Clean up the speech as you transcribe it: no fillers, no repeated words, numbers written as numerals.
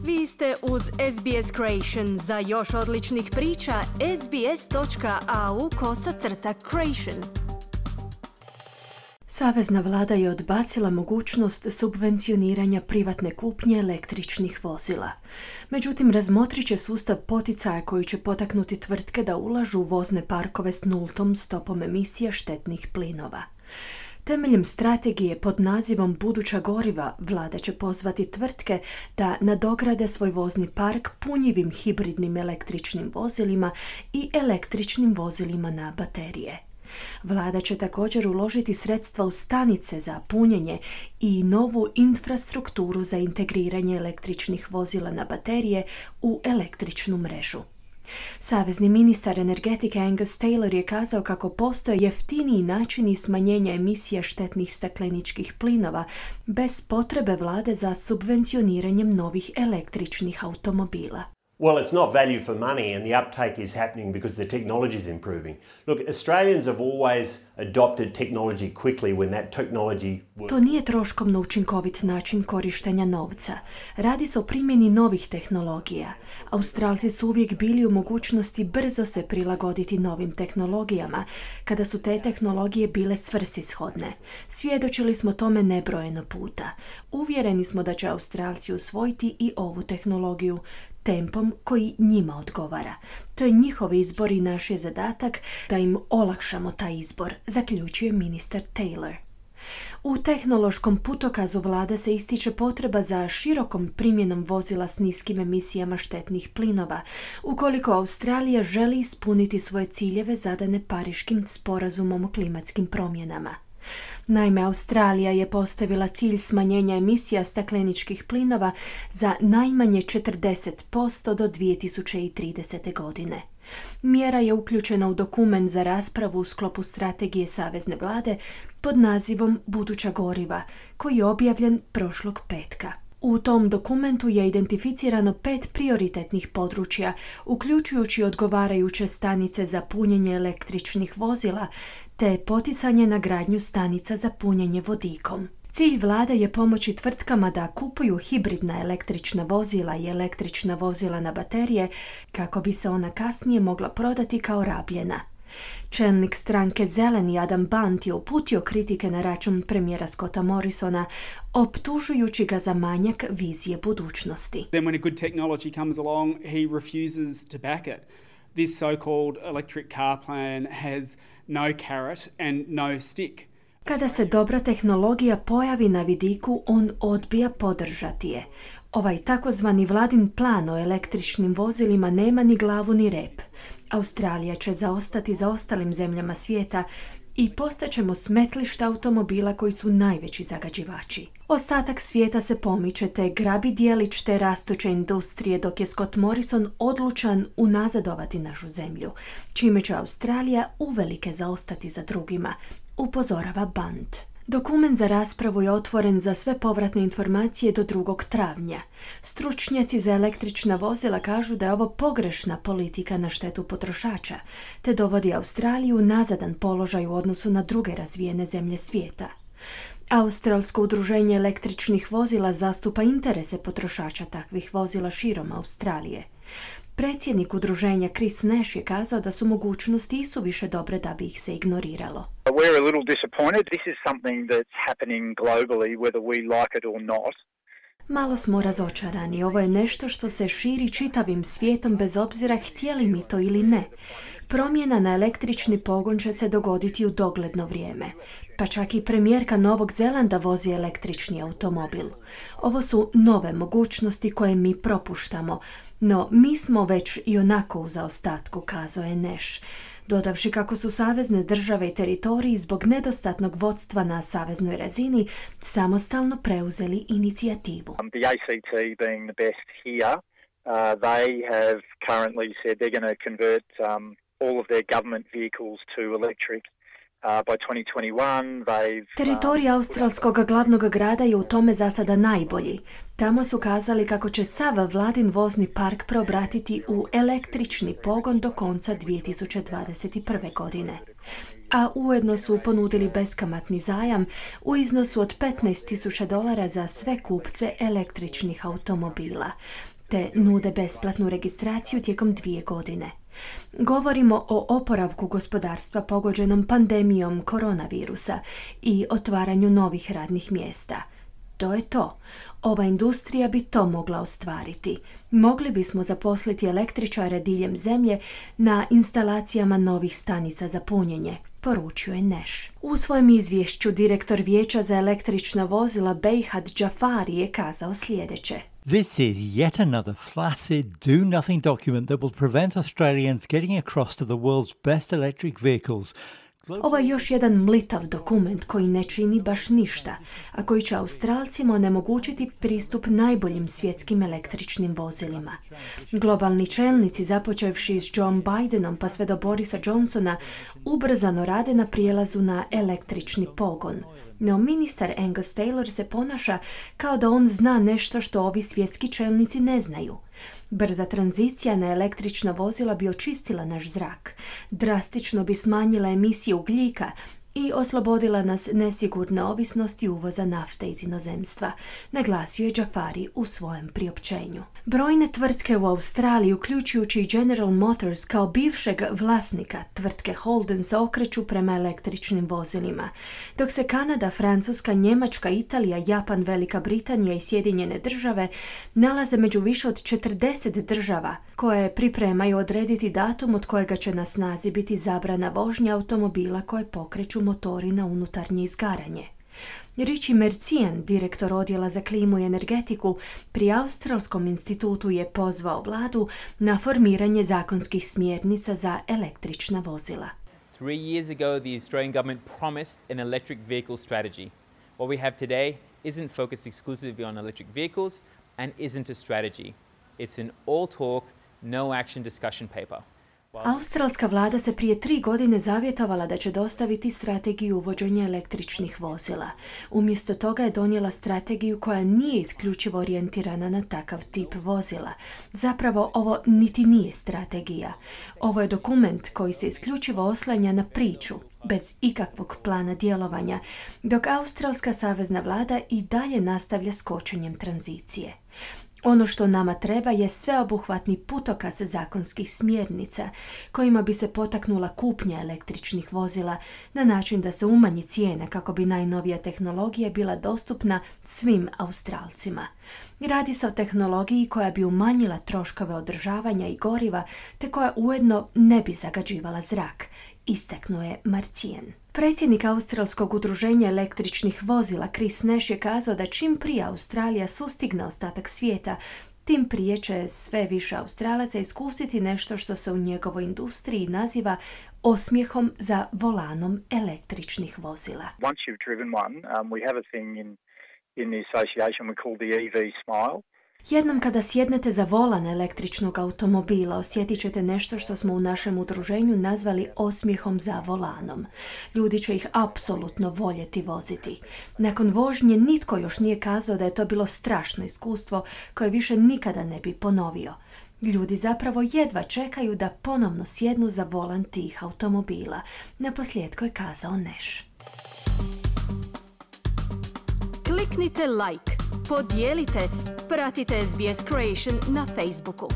Vi ste uz SBS Creation. Za još odličnih priča, sbs.au/creation. Savezna vlada je odbacila mogućnost subvencioniranja privatne kupnje električnih vozila. Međutim, razmotrit će sustav poticaja koji će potaknuti tvrtke da ulažu u vozne parkove s nultom stopom emisija štetnih plinova. Temeljem strategije pod nazivom Buduća goriva, vlada će pozvati tvrtke da nadograde svoj vozni park punjivim hibridnim električnim vozilima i električnim vozilima na baterije. Vlada će također uložiti sredstva u stanice za punjenje i novu infrastrukturu za integriranje električnih vozila na baterije u električnu mrežu. Savezni ministar energetike Angus Taylor je kazao kako postoje jeftiniji načini smanjenja emisija štetnih stakleničkih plinova bez potrebe vlade za subvencioniranjem novih električnih automobila. Well, it's not value for money, and the uptake is happening because the technology is improving. Look, Australians have always adopted technology quickly when that technology works. To nije troškovno učinkovit način korištenja novca. Radi se o primjeni novih tehnologija. Australci su uvijek bili u mogućnosti brzo se prilagoditi novim tehnologijama, kada su te tehnologije bile svrsishodne. Svjedočili smo tome nebrojeno puta. Uvjereni smo da će Australci usvojiti i ovu tehnologiju tempom koji njima odgovara. To je njihov izbor i naš je zadatak da im olakšamo taj izbor, zaključuje ministar Taylor. U tehnološkom putokazu vlada se ističe potreba za širokom primjenom vozila s niskim emisijama štetnih plinova, ukoliko Australija želi ispuniti svoje ciljeve zadane Pariškim sporazumom o klimatskim promjenama. Naime, Australija je postavila cilj smanjenja emisija stakleničkih plinova za najmanje 40% do 2030. godine. Mjera je uključena u dokument za raspravu u sklopu strategije Savezne vlade pod nazivom Buduća goriva, koji je objavljen prošlog petka. U tom dokumentu je identificirano 5 prioritetnih područja, uključujući odgovarajuće stanice za punjenje električnih vozila, te poticanje na gradnju stanica za punjenje vodikom. Cilj vlade je pomoći tvrtkama da kupuju hibridna električna vozila i električna vozila na baterije kako bi se ona kasnije mogla prodati kao rabljena. Čelnik stranke Zeleni Adam Bant je uputio kritike na račun premijera Scotta Morrisona, optužujući ga za manjak vizije budućnosti. Then when a good technology comes along, he refuses to back it. This so-called electric car plan has no carrot and no stick. Kada se dobra tehnologija pojavi na vidiku, on odbija podržati je. Ovaj takozvani vladin plan o električnim vozilima nema ni glavu ni rep. Australija će zaostati za ostalim zemljama svijeta i postaćemo smetlišta automobila koji su najveći zagađivači. Ostatak svijeta se pomiče te grabi dijelić te rastuće industrije, dok je Scott Morrison odlučan unazadovati našu zemlju, čime će Australija uvelike zaostati za drugima, upozorava Bant. Dokument za raspravu je otvoren za sve povratne informacije do 2. travnja. Stručnjaci za električna vozila kažu da je ovo pogrešna politika na štetu potrošača, te dovodi Australiju u nazadan položaj u odnosu na druge razvijene zemlje svijeta. Australsko udruženje električnih vozila zastupa interese potrošača takvih vozila širom Australije. Predsjednik udruženja Chris Nash je kazao da su mogućnosti isuviše dobre da bi ih se ignoriralo. We're a little disappointed. This is something that's happening globally whether we like it or not. Malo smo razočarani. Ovo je nešto što se širi čitavim svijetom bez obzira htjeli mi to ili ne. Promjena na električni pogon će se dogoditi u dogledno vrijeme. Pa čak i premijerka Novog Zelanda vozi električni automobil. Ovo su nove mogućnosti koje mi propuštamo, no mi smo već i onako u zaostatku, kazao je Nash, dodavši kako su savezne države i teritoriji zbog nedostatnog vodstva na saveznoj razini samostalno preuzeli inicijativu. The ACT being the best here, they have currently said they're going to convert all of their government vehicles to electric. By 2021, Teritorij australskog glavnog grada je u tome za sada najbolji. Tamo su kazali kako će sav vladin vozni park preobratiti u električni pogon do konca 2021. godine. A ujedno su ponudili beskamatni zajam u iznosu od $15,000 za sve kupce električnih automobila. te nude besplatnu registraciju tijekom 2 godine. Govorimo o oporavku gospodarstva pogođenom pandemijom koronavirusa i otvaranju novih radnih mjesta. To je to. Ova industrija bi to mogla ostvariti. Mogli bismo zaposliti električare diljem zemlje na instalacijama novih stanica za punjenje, poručuje Nash. U svojem izvješću direktor Vijeća za električna vozila Behad Jafari je kazao sljedeće. This is yet another flaccid, do-nothing document that will prevent Australians getting across to the world's best electric vehicles. Ovo je još jedan mlitav dokument koji ne čini baš ništa, a koji će Australcima onemogućiti pristup najboljim svjetskim električnim vozilima. Globalni čelnici, započevši s John Bidenom pa sve do Borisa Johnsona, ubrzano rade na prijelazu na električni pogon. No ministar Angus Taylor se ponaša kao da on zna nešto što ovi svjetski čelnici ne znaju. Brza tranzicija na električna vozila bi očistila naš zrak, drastično bi smanjila emisije ugljika i oslobodila nas nesigurne ovisnosti uvoza nafte iz inozemstva, naglasio je Jafari u svojem priopćenju. Brojne tvrtke u Australiji, uključujući i General Motors kao bivšeg vlasnika tvrtke Holden, se okreću prema električnim vozilima, dok se Kanada, Francuska, Njemačka, Italija, Japan, Velika Britanija i Sjedinjene države nalaze među više od 40 država koje pripremaju odrediti datum od kojega će na snazi biti zabrana vožnje automobila koje pokreću motori na unutarnje izgaranje. Richie Mercian, direktor odjela za klimu i energetiku pri Australskom institutu, je pozvao vladu na formiranje zakonskih smjernica za električna vozila. 3 years ago, the Australian government promised an electric vehicle strategy. What we have today isn't focused exclusively on electric vehicles and isn't a strategy. It's an all talk, no action discussion paper. Australska vlada se prije 3 godine zavjetovala da će dostaviti strategiju uvođenja električnih vozila. Umjesto toga je donijela strategiju koja nije isključivo orijentirana na takav tip vozila. Zapravo ovo niti nije strategija. Ovo je dokument koji se isključivo oslanja na priču, bez ikakvog plana djelovanja, dok Australska savezna vlada i dalje nastavlja s kočenjem tranzicije. Ono što nama treba je sveobuhvatni putokaz zakonskih smjernica kojima bi se potaknula kupnja električnih vozila na način da se umanji cijena kako bi najnovija tehnologija bila dostupna svim Australcima. Radi se o tehnologiji koja bi umanjila troškove održavanja i goriva te koja ujedno ne bi zagađivala zrak, istaknuo je Marcian. Predsjednik Australskog udruženja električnih vozila Chris Nash je kazao da čim prije Australija sustigne ostatak svijeta, tim prije će sve više Australaca iskusiti nešto što se u njegovoj industriji naziva osmijehom za volanom električnih vozila. Once you've driven one, we have a thing in the association we call the EV smile. Jednom kada sjednete za volan električnog automobila, osjetit ćete nešto što smo u našem udruženju nazvali osmijehom za volanom. Ljudi će ih apsolutno voljeti voziti. Nakon vožnje nitko još nije kazao da je to bilo strašno iskustvo koje više nikada ne bi ponovio. Ljudi zapravo jedva čekaju da ponovno sjednu za volan tih automobila. Naposljetku je kazao Nash. Kliknite like, podijelite, pratite SBS Creation na Facebooku.